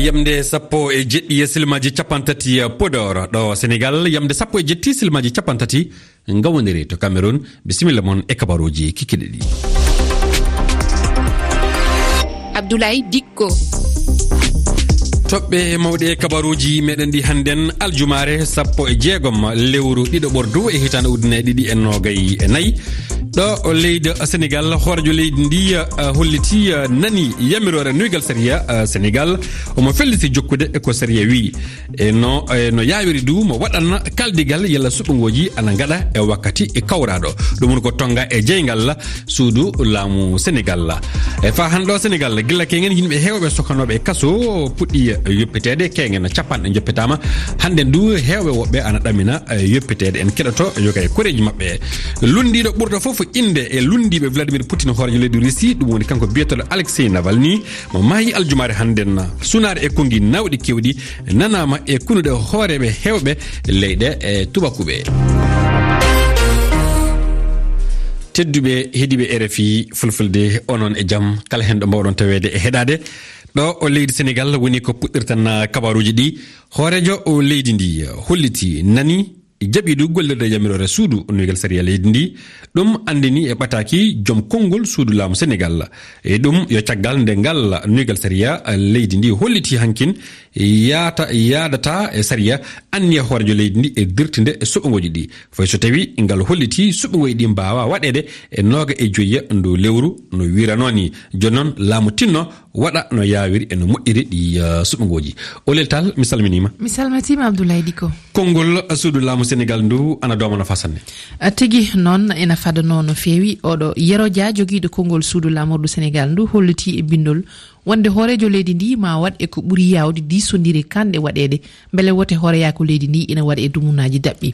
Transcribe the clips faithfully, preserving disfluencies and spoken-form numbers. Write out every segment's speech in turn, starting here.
Yamde sappo e jeɗɗi e silmaaji capanɗe tati Podor ɗo Senegal, yamde sappo e jeɗɗi silmaaji capanɗe tati ngawondirii to Cameroun. Bisimilla mon e kabaruuji kikiɗe ɗi. Abdoulaye Dikko. Toɓɓe mawɗe e kabaruuji meɗen ɗi hannden aljumaare sappo e jeegom lewru ɗiɗo ɓordu e hitaande ujunere ɗiɗi e noogay e nayi. Ɗo leydi Senegal, hooreejo leydi ndi, eh, holliti, eh, nani yamiroore nuygal sariya, eh, Senegal. Omo felliti jokkude e ko sariya wi. E no, e no yaawiri du mo waɗan kaldigal yalla suɓngooji ana ngaɗa e wakkati e kawraaɗo. Ɗum woni ko tonga e jeyngal suudu laamu Senegal. E fa hannde o Senegal, gila kengen yimɓe heewɓe sokanooɓe e kaso puɗɗi yoppiteede, kengen capanɗe joppitaama. Hannde du heewɓe woɓɓe ana ɗamina, eh, yoppiteede. En keɗoto yoga e koreeji maɓɓe. Lunndiiɗo ɓurɗo fof innde e lunndiiɓe Vladimir Putin, hooreejo leydi Russie, ɗum woni kanko biyeteeɗo Alexei Navalny, mo maayi aljumaare hannden. Sunaare e konngi nawɗi keewɗi nanaama e kunuɗe hooreeɓe heewɓe leyɗe e tubakuɓe. Tedduɓe heɗiiɓe R F I Fulfulde, onon e jam, kala heen ɗo mbawɗon taweede e heɗaade. Ɗo o leydi Senegal woni ko puɗɗirten kabaruuji ɗi. Hooreejo o leydi ndi holliti nani jaɓi du gollirde yamiroore suudu nuygal sariya leydi ndi. Ɗum anndini e ɓataaki joom konngol suudu laamu Senegal. E ɗum yo caggal nde ngal nuygal sariya leydi ndi holliti hankin yaata, yaadata e sariya anniya hooreejo leydi ndi e dirtinde e suɓngooji ɗi. Fay so tawi ngal holliti suɓngooji ɗi mbaawa waɗeede e nooga e joyya ndu lewru no wiiranoo ni. Jooni noon laamu tinno waɗa no yaawiri e no moƴƴiri ɗi, eh, suɓngooji. Olel Tall, mi salminiima. Mi salmitiima, Abdoulaye Diko. Konngol suudu laamu Senegal ndu ana dooma no fasanne. A tigi noon ena fadanoo no feewi. Oɗo Yero Dia, jogiiɗo konngol suudu laamordu Senegal ndu, holliti e binndol wonde hooreejo leydi ndi ma waɗ e ko ɓuri yaawde diisondire kanɗe waɗeede, mbele wote hooreyaaku leydi ndi ina waɗa e dumunaaji daɓɓi.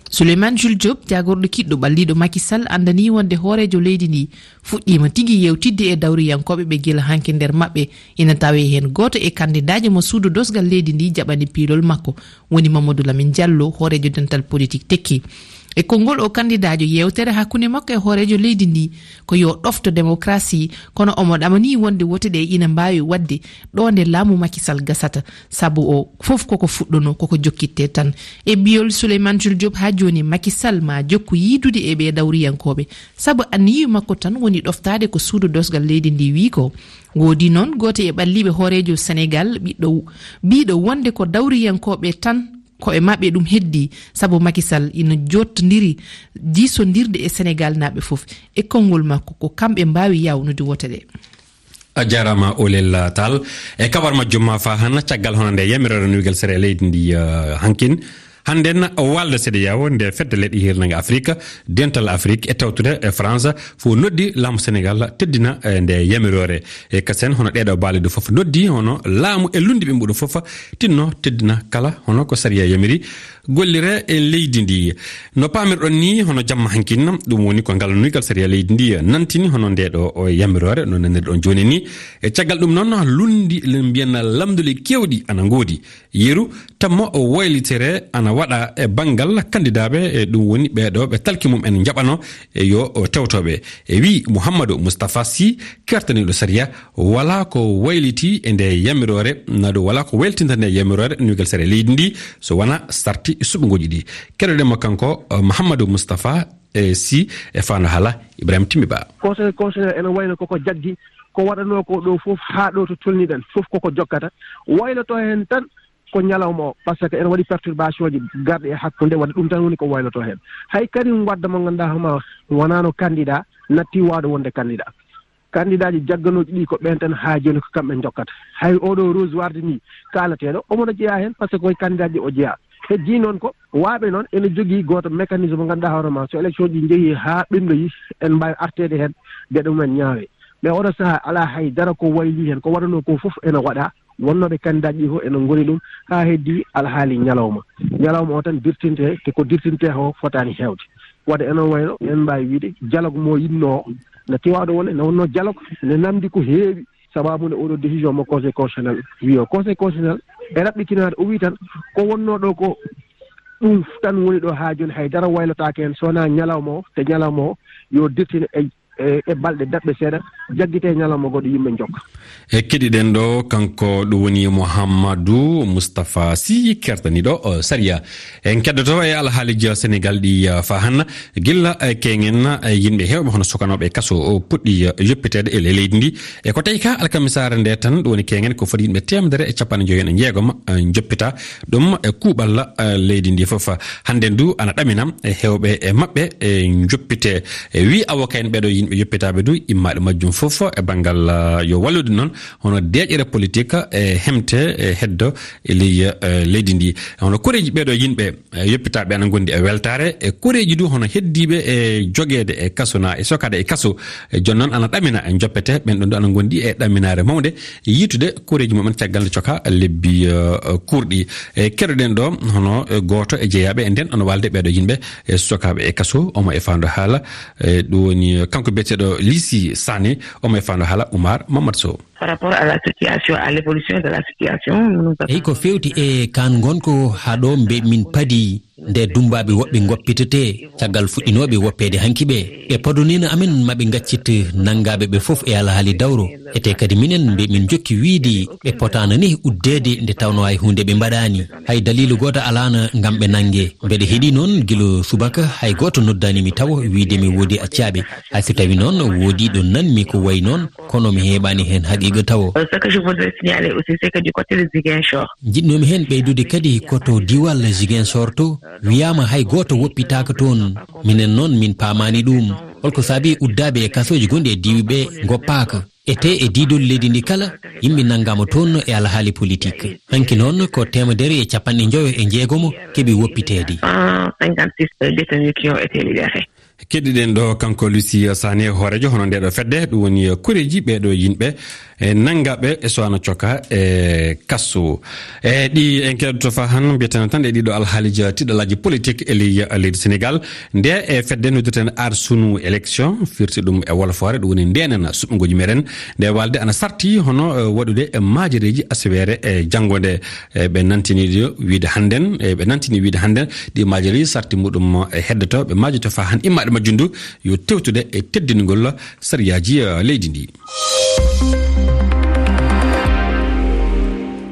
Souleymane Jules Diop, jaagorɗo kiɗɗo ɓalliiɗo Macky Sall, anndanii wonde hooreejo leydi ndi fuɗɗiima tigi yeewtidde e dawriyankooɓe ɓe gila hanki nder maɓɓe ina tawee heen gooto e kandidaajo mo suudu dosgal leydi ndi jaɓani piilol makko, woni Mamadou Lamine Diallo, hooreejo dental politik Tekki. E konngol o kandidaajo, yeewtere hakkunde makko e hooreejo leydi ndi ko yo ɗofto démocratie, kono omo ɗamanii wonde wote ɗe ina mbaawi waɗde ɗo nde laamu Macky Sall gasata, sabu o fof koko fuɗɗono, koko jokkitte tan. E biyol Souleymane Jules Diop, haa jooni Macky Sall ma jokku yiidude e ɓee dawriyankooɓe, sabu anniyu makko tan woni ɗoftaade ko suudu dosgal leydi ndi wii ko. Woodi noon gooto e ɓalliiɓe hooreejo Senegal, ɓiɗɗo, biiɗo wonde ko dawriyankooɓe tan, ko e maɓɓe ɗum heddi, sabu Macky Sall ina jottondiri diisondirde e Senegal naaɓe fof. E konngol makko, ko kamɓe mbaawi yawnude wote ɗe. A jaaraama, Olel Tall. E kabar majjum ma fa hannde, caggal hono nde yamiroore nuygal sariya leydi ndi, eh, hankin. Hannden, walde C E D E A O, nde fedde leyɗe hirnange Afrik, dental Afrik e tawtude e France, fof noddi laamu Senegal teddina, eh, nde yamiroore. E kasen hono ɗeeɗo baale ɗo fof noddi, hono laamu e lundi ɓe mbuɗo fof tinno teddina kala hono ko sariya yamiri. Gollire e leydi ndi. No paamirɗon ni, hono jamma hankin, ɗum woni ko ngal nuygal sariya leydi ndi nantini hono nde ɗo o yamiroore, no nanirɗon jooni ni. E caggal ɗum noon, lundi, le mbiyen lamnduli keewɗi ana ngoodi. Yeru, tammo o waylitere ana waɗa e banngal kandidaaɓe, e ɗum woni ɓee ɗo ɓe talki mum en njaɓano e yo o tewtoɓe. E wi Mouhamadou Moustapha Sy, kertaniiɗo sariya, wala ko wayliti e nde yamiroore, naɗo wala ko waylitinta nde yamiroore nuygal sariya leydi ndi, so wona sarti suɓngooji ɗi. Keɗoɗen mo kanko, eh, Mouhamadou Moustapha, eh, Sy e faano haala Ibrahima Timmi Ba. Conseil constitutionnel ene wayno koko jaggi, ko waɗanoo ko ɗo fof haa ɗo to tolniɗen fof koko jokkata. Wayloto heen tan ko ñalawma o, par ce que ene waɗi perturbation ji garɗi e hakkunde, waɗi ɗum tan woni ko wayloto heen. Hay Karim Wade mo ngannduɗaa hono wonano candidat, natti waawde wonde candidat. Candidat ji jagganooji ɗi ko ɓeen tan haa jooni ko kamɓe njokkata. Hay oɗo Rose Wardini kaalateeɗo, omo no jeyaa heen par ce que koye candidat ji o jeyaa. Heddii noon ko waaɓe noon ene jogii gooto mécanisme mo ngannduɗaa hoore ma, so élection ji njehii haa ɓennoyi, en mbaawi arteede heen, geɗe mumen ñaawee. Mais oɗo sahaa alaa hay dara ko waylii heen, ko waɗanoo ko fof ene waɗaa. Wonnooɓe candidat ji fof ene ngoni ɗum haa heddii alhaali ñalawma. Ñalawma o tan dirtinte, te ko dirtinte o fotaani heewde. Wadde ene wayno en mbaawi wiide dialogue mo yiɗnoo o, no tiwaɗo wonde, ne wonnoo dialogue, ne namdi ko heewi. Sababu nde oɗo décision mo Conseil constitutionnel wi o. Conseil constitutionnel e raɓɓitinaade, o wi tan ko wonnoo ɗo ko ɗum tan woni ɗo haa jooni, hay dara waylotaake heen, so wonaa ñalawma o, te ñalawma o yo dirtine e e, e balɗe daɓɓe seeɗa, jaggite ñalawma goɗɗo yimɓe njokka. E keɗiɗen ɗo, kanko ɗum woni Mouhamadou Moustapha Sy, kertaniiɗo, eh, sariya. En keddoto e alhaaliiji Senegal ɗi, eh, faa hanna. Gilla, eh, keŋen, eh, yimɓe heewɓe hono sukanooɓe e kaso o puɗɗi, eh, yoppiteede e le-, leydi ndi. E ko tawi ka alkamisaare nde tan, ɗum woni keŋen ko foti yimɓe teemedere e capanɗe joyi e jeegom, eh, njoppita ɗum e kuuɓal, eh, leydi ndi fof. Hannde ndu ana ɗamina e heewɓe e maɓɓe e njoppite. E wii avocat en ɓeɗo yimɓe yoppitaaɓe du immaaɗe majjum fof e banngal, eh, yo wallude noon hono deeƴere politique e hemte e heddo e ley, eh, leydi ndi. Hono koreeji ɓeɗo yimɓe e yoppitaaɓe ana ngondi e weltaare, e koreeji du hono heddiiɓe e jogeede e kaso na e sokaade e kaso. E jooni noon ana ɗamina e joppete, ɓen ɗon du ana ngondi e ɗaminaare mawnde, e yiitude koreeji mumen caggal nde coka lebbi, eh, kurɗi. E keɗoɗen ɗo hono, eh, gooto e jeyaaɓe e nden ana walde ɓeɗo yimɓe e sokaaɓe e kaso, omo e faando haala, eh, ɗum woni, eh, kanko biyeteeɗo Lisi Sane, omo e faando haala Oumar Mamadou Sow. Par rapport à la situation, à l'évolution de la situation, nous nous Eyi, ko fewti e kaan ngonko haa ɗo mbe min padi nde dummbaaɓe woɓɓe ngoppitetee caggal fuɗɗinooɓe woppeede hanki ɓe. Ɓe podonino amen maɓe ngaccit nanngaaɓe ɓe fof e alhaali dawro. Ete kadi minen mbe min jokki wiidi ɓe potaana ni uddeede nde tawno hay huunde ɓe mbaɗaani. Hay daliilu gooto alaana ngam ɓe nannge. Mbeɗe heɗi noon gila subaka hay gooto noddaani mi tawo wiide mi woodi accaaɓe. Hay so tawi noon woodi ɗo nanmi ko wayi noon, kono mi heɓaani heen haqiiqa tawo. Euh, ce que je voudrais signaler aussi, c'est que du côté de Ziguinchor. Njiɗnoomi heen ɓeydude kadi ko to diwal Ziguinchor to, wiyaama hay gooto woppitaaka toon. Minen noon min paamaani ɗum. Holko saabi uddaaɓe e kasooji gonɗi e diiwi ɓe ngoppaaka? Ete e diidol leydi ndi kala, yimɓe nanngaama toon e alhaali politique. Hanki noon ko teemedere e capanɗe njoyo e jeegomo keɓi woppiteede. Cent cinquante-six détenus qui ont été libérés. Keɗiɗen ɗo kanko Lucie Sané, hoorejo hono ndeɗo fedde, ɗum woni koreeji ɓeɗo yimɓe e nanngaɓe e so ana coka e kaso. E ɗi en keɗoto fa han mbiyeten tan e ɗiɗo alhaaliji tiɗalaaji politique e ley, leydi Sénégal. Nde e fedde noddirten Aar Sunu Élection, firti ɗum e wolofore, ɗum woni ndenen suɓngooji meɗen. Nde walde ana sarti hono, eh, waɗude e maajereeji aseweere e janngo nde. E ɓe nantini ɗo wiide hannden, e ɓe nantini wiide hannden ɗi maajereeji sarti muɗum e heddoto, ɓe maajoto fa han immaɗe majjum ndu yo tewtude e teddingol sariyaaji, eh, leydi ndi.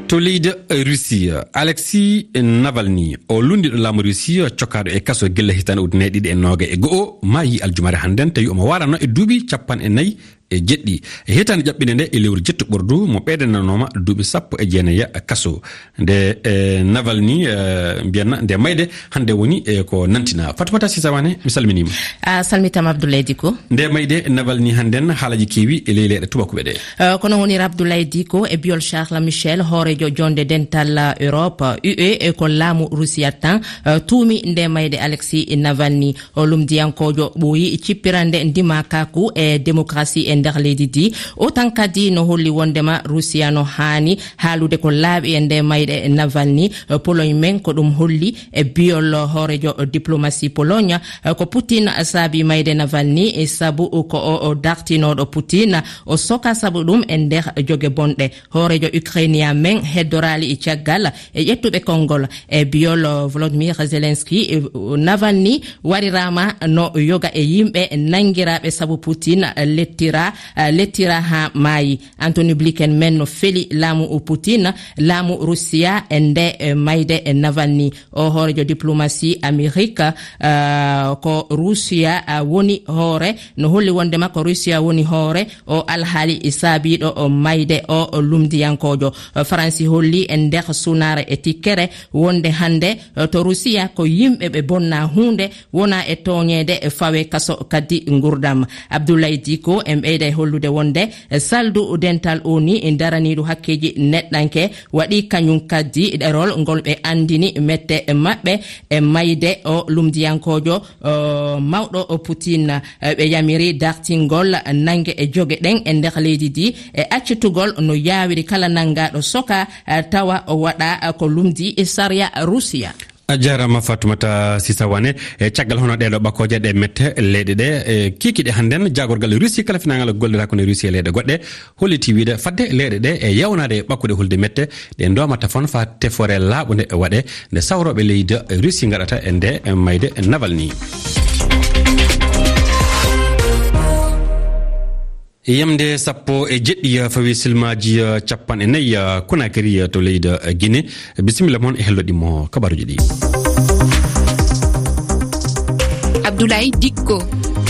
To leydi Russie, Alexis Navalny, o lunndiiɗo laamu Russie, cokkaaɗo e kaso gilla hitaande ujunere ɗiɗi e noogay e go'o, maayi aljumare hannden, tawi omo waarano e duuɓi capanɗe nayi e jeɗɗi. E hitaande ƴaɓɓinde nde e lewru jettuɓurdu, mo ɓeydananooma duuɓi sappo e jeenayi kaso. Nde, eh, Navalny, eh, mbiyanna nde mayde hannde woni, eh, ko nantina. Fatoumata Sisa Wane, mi salminiima. A salmitaama Abdoulaye Diko. Nde mayde Navalny hannden haalaji keewi e ley leyɗe tubakuɓe ɗe. Eh, kono wonira Abdoulaye Diko e biyol Charles Michel, hoorejo jonde dental Europe, U E, e ko laamu Rusiya tan, eh, tuumi nde mayde Alexis Navalny. O lumdiyankoojo ɓooyi cippirande ndimakaku e démocratie e nder leydi ndi. O tan kadi no holli wondema Rusiya no haani haalude ko laaɓi e nde mayde Navalny. Pologne men ko ɗum holli e biyol hoorejo diplomasi Pologne, ko Putin saabi mayde Navalny, e sabu ko o, o dartinooɗo Putin, o soka sabu ɗum e nder joge bonɗe. Hoorejo Ukrainia men heddoraali e caggal e ƴettuɓe konngol e biyol Volodymyr Zelensky, e, Navalny wariraama no yoga e yimɓe nanngiraaɓe sabu Putin lettira, lettira haa maayi. Anthony Blinken men no feli laamu Putin, laamu Rusiya e nde, e mayde e Navalny. O hoorejo diplomasi Amerik, ah, ko Rusiya, ah, woni hoore, no holli wondema ko Rusiya woni hoore o alhaali saabiiɗo o mayde o lumdiyankoojo. Faransi holli e nder sunaare e tikkere wonde hannde to Rusiya ko yimɓe ɓe bonna huunde, wona e tooñeede, e fawe kaso kadi ngurdam. Abdoulaye Diko en ɓeyda e hollude wonde saldu dental O N U daraniiɗo hakkeeji neɗɗanke waɗi kañum kadi ɗerol ngol ɓe anndini mette maɓɓe e mayde o lumdiyankoojo, o mawɗo o Putin. Ɓe yamiri dartingol nannge e joge ɗen e nder leydi ndi e accitugol no yaawiri kala nanngaaɗo soka, tawa o waɗa ko lumdi e sariya Rusiya. A jaaraama Fatoumata Sisa Wane. E caggal hono ɗeɗo ɓakkooje ɗe mette leyɗe ɗe, e kiikiiɗe hannden, jaagorgal Russie kala finaangal gollirta ko ne Russie e leyɗe goɗɗe, holliti wiide fadde leyɗe ɗe e yawnaade e ɓakkude hulde mette ɗe ndoomata fon faa tefoore laaɓunde e waɗe nde sawrooɓe leydi Russie ngaɗata e nde mayde Navalny. Yamde sappo e jeɗɗi, eh, fawi silmaaji, eh, capanɗe nayi, eh, Conakry, eh, to leydi, eh, Guinée. Bisimilla mon e helloɗi mo kabaruji ɗi. Abdoulaye Dikko.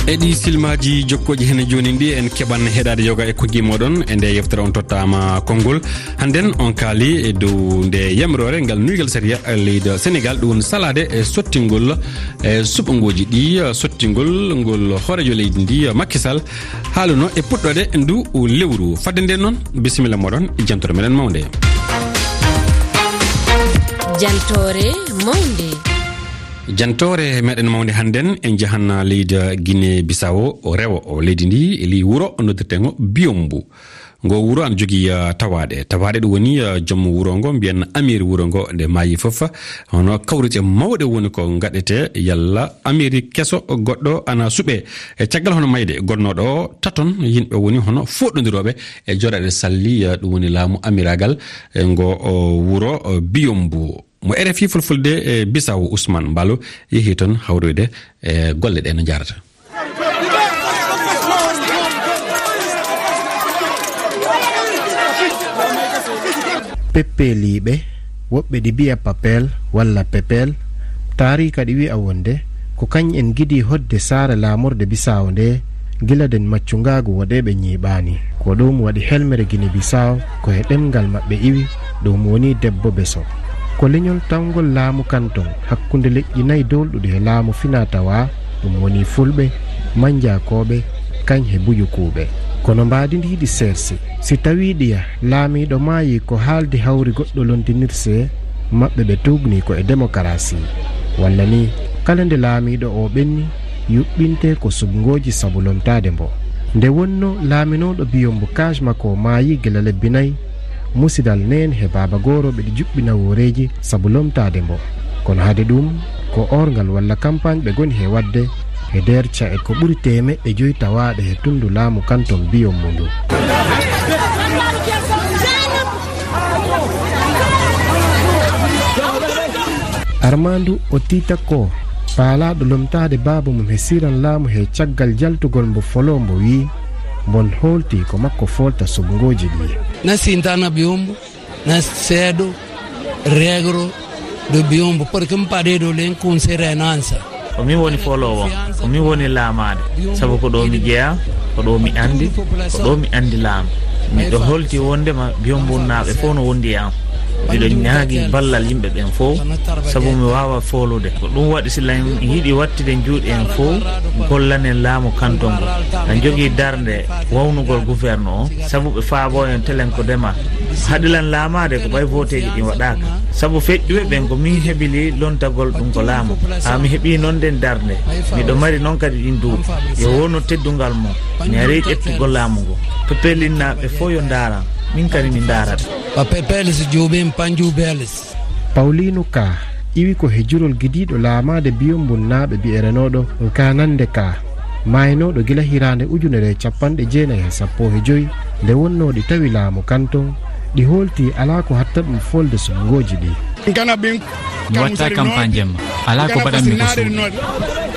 E ɗi silmaaji jokkooji hene jooni ɗi, en keɓan heɗaade yoga e kujji moɗon. E nde yeftere on tottaama konngol. Hannden on kaali e dow nde yamiroore ngal nuygal sariya leydi Senegal, ɗum woni salaade e sottingol e suɓngooji ɗi, sottingol ngol hooreejo leydi ndi, Macky Sall, haaluno e puɗɗoode ndu lewru. Fadde nde noon, bisimilla moɗon e jantoore meɗen mawnde. Jantoore mawnde. Jantoore meɗen mawnde hannden, en njahan leydi Guinée Bissau, rewo o leydi ndi, e ley wuro noddirtengo Biombo. Ngo wuro ana jogii, ah, tawaaɗe. Tawaaɗe ɗum woni, ah, joom wuro ngo, mbiyen amiir wuro ngo, nde maayi fof, hono kawrite mawɗe woni ko ngaɗete, yalla amiiri keso goɗɗo ana suɓe. E caggal hono mayde gonnooɗo o, taton yimɓe woni hono fooɗondirooɓe e jooɗaɗe salli, ah, ɗum woni laamu amiiraagal, e ngo, o, wuro, o, Biyombu. Mo R F I Fulfulde e Bissau, Ousmane Mballo, yehi toon hawroyde e golle ɗe no njaarata. Peppeeliiɓe, woɓɓe ɗi mbiya papel walla pepel, taariika ɗi wi'a wonde ko kañ en ngidi hoɗde saare laamorde Bisaawo nde gila nden maccungaagu woɗeeɓe ñiiɓaani. Ko ɗum waɗi helmere Gine Bisaawo ko he ɗemngal maɓɓe iwi, ɗum woni debbo beso. Ko leñol tawngol laamu kanton hakkunde leƴƴi nayi doolɗuɗi he laamu finaa tawaa, ɗum woni Fulɓe, Mannjakooɓe, kañ he Buyukuuɓe. Kono mbaadi ndi hiɗi seersi. Si tawii ɗiya laamiiɗo maayi ko haaldi hawri goɗɗo londinirse, maɓɓe ɓe tuugnii ko e demokarasi. Walla ni, kala nde laamiiɗo o ɓenni, yuɓɓinte ko suɓngooji sabu lomtaade mbo. Nde wonnoo laaminooɗo Biyombo kaaj makko maayi gila lebbi nayi, musidal neen he baaba goorooɓe ɗi juɓɓi nawooreeji sabu lomtaade mbo. Kono hade ɗum, ko oorngal walla kampaañ ɓe ngoni he waɗde he nder ca'e ko ɓuri teemeɗɗe joyi tawaaɗe he tunndu laamu kanton Biyombo ndu. Armaandu o tiita ko paalaaɗo lomtaade baaba mum he siran laamu he caggal jaltugol mbo foloo mbo wi'i, mbon hoolti ko makko foolta suɓngooji ɗi. Na sintana Biyombo, na seedo, regro, do Biyombo, porque mi padedo len kun serenansa. Ko min woni fooloowo, ko min woni laamaade, sabu ko ɗo mi jeyaa, ko ɗo mi anndi, ko ɗo mi anndi laamu. Miɗo holti wonndema Biyombunnaaɓe fof no wondi e am. Miɗo ñaagi ballal yimɓe ɓen fof, sabu mi waawa foolude. Ko ɗum waɗi, si lan yiɗi wattude juuɗe en fof, gollanen laamu kanton ngu. Lan jogii darnde wawnugol gouverne o, sabu ɓe faabo en telen ko dema. Haɗi lan laamaade ko ɓay voteeji ɗin waɗaaka. Sabu feƴƴuɓe ɓen ko min heɓili lontagol ɗum ko laamu. Haa mi heɓii noon nden darnde. Miɗo mari noon kadi ɗin duuɓi. Yo wonu teddungal mon. Mi arii ƴettugol laamu ngu. Pepelinnaaɓe fof yo ndaaran. Min kadi mi ndaarata. Ba pepeles juuɓin panjuubeles. Pawliinu Ka iwi ko he jurol gidiiɗo laamaade Biyombunnaaɓe bi'erenooɗo Nkaanannde Ka, maaynooɗo gila hiraande ujunere e capanɗe jeenayi e sappo he joyi, nde wonnoo ɗi tawi laamu kanton, ɗi hoolti alaa ko hatta ɗum foolde suɓngooji ɗi. Mi watta kampaañ jemma. Alaa ko mbaɗanmi ko suuɗi.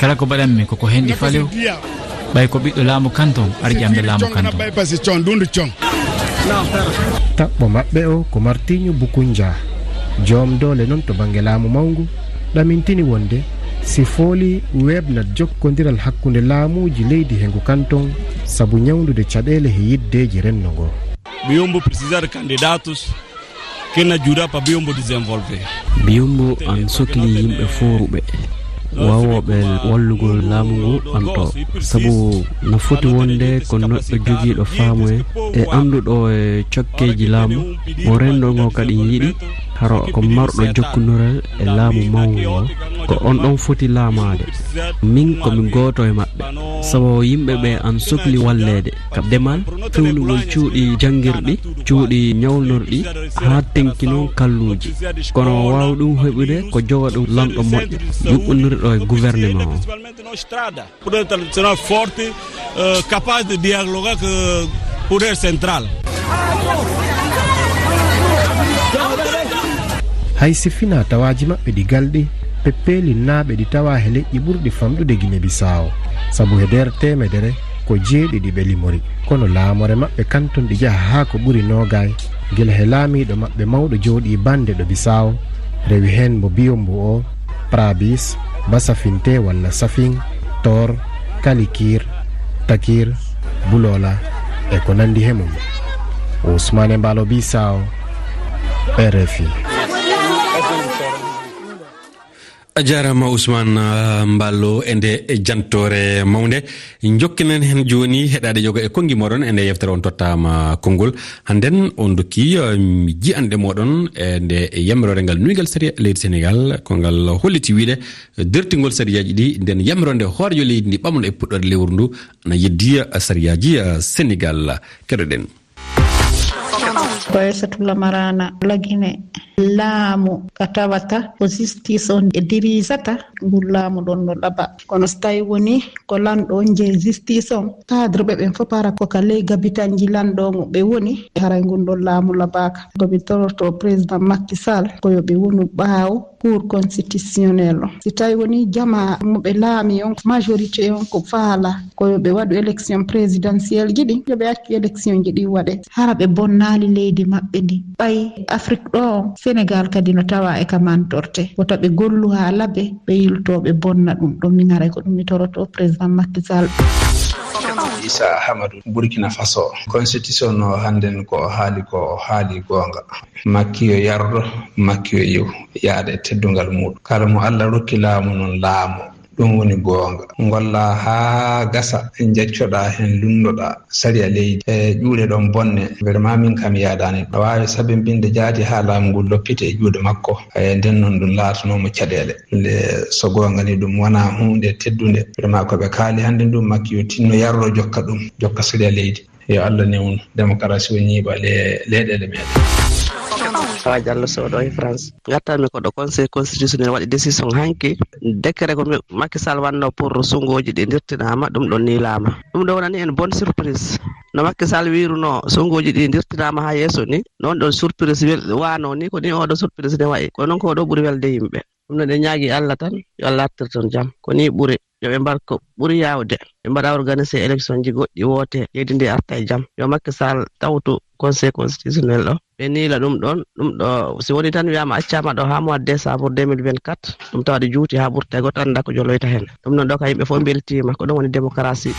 Kala ko mbaɗanmi ko ko henɗi falew. Ɓay ko ɓiɗɗo laamu kanton, arƴamɓe laamu kanton. Taɓɓo maɓɓe o ko Martinho Bukunja, joom doole non to bannge laamu mawngu, ɗamintini wonde si fooli weeɓnat jokkondiral hakkunde laamuuji leydi he ngu kanton sabu ñawndude caɗeele he yiddeeji renndo ngo. Biyombo precisar candidatos que na ajuda para Biyombo desenvolver. Biyombo an sokli yimɓe fooruɓe, waawooɓe wallugol laamu ngu ɓanto. Sabu no foti wonde ko neɗɗo jogiiɗo faamu e, e annduɗo e cokkeeji laamu, mo renndo ngo kadi yiɗi, haro ko marɗo jokkondiral e laamu mawngu ngo, ko on ɗon foti laamaade. Min ko mi gooto e maɓɓe, sabu yimɓe ɓe an sokli walleede. Ka demal, fewnugol cuuɗi janngirɗi, cuuɗi ñawnorɗi, haa tenki noon kalluuji. Kono waawi ɗum heɓude ko jogo ɗum lanɗo moƴƴo, yuɓɓondirɗo e gouvernement o. Poder tradicional forte, eh, capaz de dialogar com o poder central. Hay si finaa tawaaji maɓɓe ɗi galɗi, peppeelinnaaɓe ɗi tawaa he leƴƴi ɓurɗi famɗude Gine Bisaawo, sabu he nder teemedere, Ko jeeɗiɗi ɓe limori, kono laamore maɓɓe kanton ɗi jaha haa ko ɓuri noogaay, gila he laamiiɗo maɓɓe mawɗo jooɗii bannde ɗo Bisaawo, rewi heen mbo Biyombo o, Prabis, Basafinte walla Safin, Tor, Kalikir, Takir, Bulola, e ko nanndi he mum. Ousmane Mbaalo Bisaawo, R F I. A jaaraama Ousmane, ah, Mballo e nde jantoore mawnde. Njokkinen heen jooni heɗaade yoga e konngi mooɗon e nde yewtere on tottaama konngol. Hannden on ndokki, ah, ji'anɗe mooɗon e nde yamiroore ngal nuygal sariya leydi Senegaal, ko ngal holliti wiyde dertingol sariyaaji ɗi, nden yamiroore nde hooreejo leydi ndi ɓamno e puɗɗoore lewru ndu, ana yeddi, ah, sariyaaji, ah, Senegaal. Keɗoɗen. Ko Aysatu Lamarana Lagine. Laamu ka tawata ko justice on e dirijata, ngun laamu ɗon no laɓa. Kono so tawi woni ko lanɗo on jeyi justice on, cadre ɓe ɓen fof para ko ka ley gabitanji lanɗo on ɓe woni, haray ngun ɗon laamu laɓaaka. Ko mi toroto président Macky Sall ko yo ɓe wonu ɓaawo Cour constitutionnelle on. Si tawi woni jama mo ɓe laami on, majorité on ko faala ko yo ɓe waɗu élection présidentielle ji ɗin, yo ɓe accu élection ji ɗin waɗe. Hara ɓe bonnaali leydi maɓɓe ndi. Ɓay Afrique ɗo on, Sénégal kadi no tawa e ka mantorte. Wota ɓe gollu haa laɓe, ɓe yilto ɓe bonna ɗum. Ɗum min haray ko ɗum mi toroto président Macky Sall. Issa Amadou, Burkina Faso. Constitution o hannden ko o haali ko o haali goonga. Makki yo yardo, makki yo yew, yaada e teddungal muuɗum. Kala mo Allah rokki laamu non laamu, ɗum woni goonga. Ngolla haa gasa, njaccoɗaa heen, lunndoɗaa sariya leydi. E ƴuuɗe ɗon bonne, vraiment min kam yaadaani. A waawi sabinbinde jaati haa laamu ngu loppite e juuɗe makko. E nden noon ɗum laatanoo mo caɗeele. Le, so goonga ni ɗum wonaa huunde teddunde. Vraiment ko ɓe kaali hannde ndu, makki yo tinno yardo jokka ɗum, jokka sariya leydi. Yo Allah newnu démocratie o ñiiɓa le-, leyɗeele meɗen. Awa Diallo Sow ɗo e France. Ngattanmi ko ɗo Conseil constitutionnel waɗi décision hanki. Décret ko mi-, Macky Sall wanno pour sungooji ɗi ndirtinaama, ɗum ɗon niilaama. Ɗum ɗo wonani en bonne surprise. No Macky Sall wiiruno sungooji ɗi ndirtinaama haa yeeso ni, noon ɗon surprise wel-, waano ni, ko ni oɗo surprise ne wayi. Ko noon ko oɗo ɓuri welde yimɓe. Ɗum no ɗe ñaagi Allah tan, yo Allah artir toon jam. Ko ni ɓuri. Yo ɓe mbar ko ɓuri yaawde. Ɓe mbaɗa organiser élection ji goɗɗi, woote, leydi ndi arta e jam. Yo Macky Sall tawtu Conseil constitutionnel ɗo. Ɓe niila ɗum ɗon, ɗum ɗo, si woni tan wiyaama accaama ɗo haa mois de décembre deux mille vingt-quatre, ɗum tawa ɗi juuti haa ɓurta e goɗɗo annda ko joloyta heen. Ɗum noon ɗo ka yimɓe fof mbeltiima, ko ɗum woni démocratie.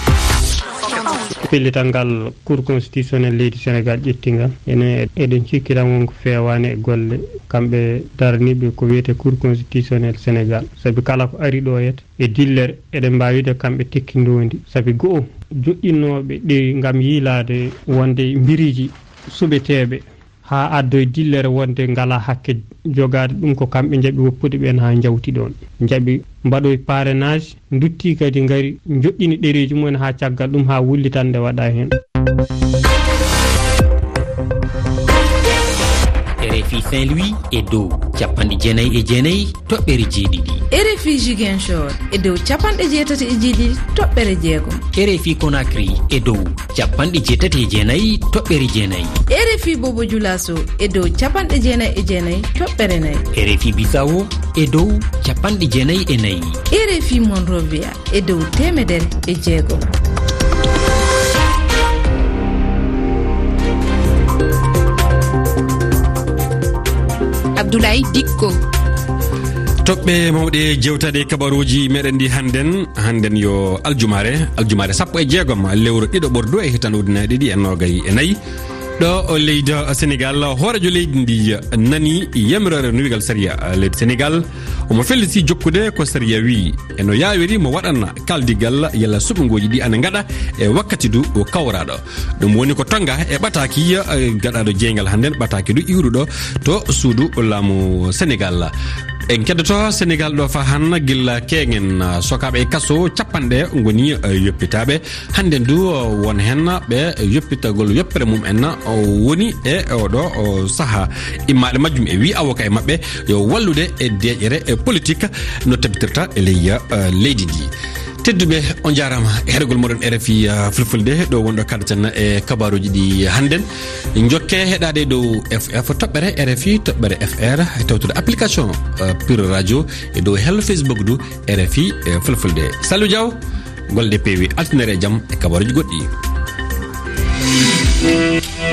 Pellital ngal Cour constitutionnel leydi Sénégal ƴetti ngal. Ene, eɗen cikki tan won ko feewaani e golle kamɓe daraniiɓe ko wiyetee Cour constitutionnel Sénégal. Sabi kala ko ari ɗo yet, e dillere, eɗen mbaawi wiide kamɓe tekki ndoondi. Sabi go'o, joɗɗinooɓe ɗi ngam yiilaade wonde mbiriiji suɓeteeɓe haa addoy dillere wonde ngalaa hakke jogaade ɗum, ko kamɓe njaɓi woppude ɓeen haa njawti ɗoon. Njaɓi mbaɗoy parrainage, nduttii kadi ngari njoɗɗini ɗereeji mumen haa caggal ɗum haa wullitannde waɗa heen. R F I Saint-Louis e dow capanɗe jeenayi e jeenayi toɓɓere jeeɗiɗi. R F I Ziguinchor e dow capanɗe jeetati e jeeɗiɗi toɓɓere jeegom. R F I Conakry e dow capanɗe jeetati e jeenayi toɓɓere jeenayi. R F I Bobo Dioulasso e dow capanɗe jeenayi e jeenayi toɓɓere nayi. R F I Bissau e dow capanɗe jeenayi e nayi. R F I Monrovia e dow teemedere e jeegom. Abdoulaye Dikko. Toɓɓe mawɗe jewtaɗe kabaruuji meɗen ɗi hannden, hannden yo aljumaare, aljumaare sappo e jeegom lewru ɗiɗo ɓordu e hitande ujunnaji ɗiɗi e noogay e nayi. Ɗo o leydi Senegal, hooreejo leydi ndi nani yamiroore nuwigal sariya leydi Senegal. Omo felliti jokkude ko sariya wiyi, e no yaawiri mo waɗana kaldigal yalla suɓngooji ɗi ana ngaɗa e wakkati du o kawraɗo. Ɗum woni ko tonga e ɓataaki, eh, gaɗaaɗo jeyngal hannden, ɓataaki du iwruɗo to suudu laamu Senegal. En keddoto Senegal ɗo faa han gilla keeŋen, ah, sokaaɓe e kaso capanɗe ngoni, eh, yoppitaaɓe. Hannden du, oh, won heen ɓe yoppitagol yoppere mum en, oh, woni e oɗo, oh, sahaa. Immaaɗe majjum e wii avocat e maɓɓe yo wallude e deeƴere, e politique no tabitirta e ley, eh, leydi ndi. Tedduɓe, on njaaraama e heɗogol moɗon R F I, ah, Fulfulde, ɗo wonɗo kaɗaten e kabaaruuji ɗi hannden. Njokke heɗaade dow F F toɓɓere R F I, toɓɓere F R, e tawtude application, ah, Pure Radio, e dow hello Facebook du R F I, eh, Fulfulde. Saliou Diaw, Golle ɗe peewi, altine e jam e kabaruuji goɗɗi.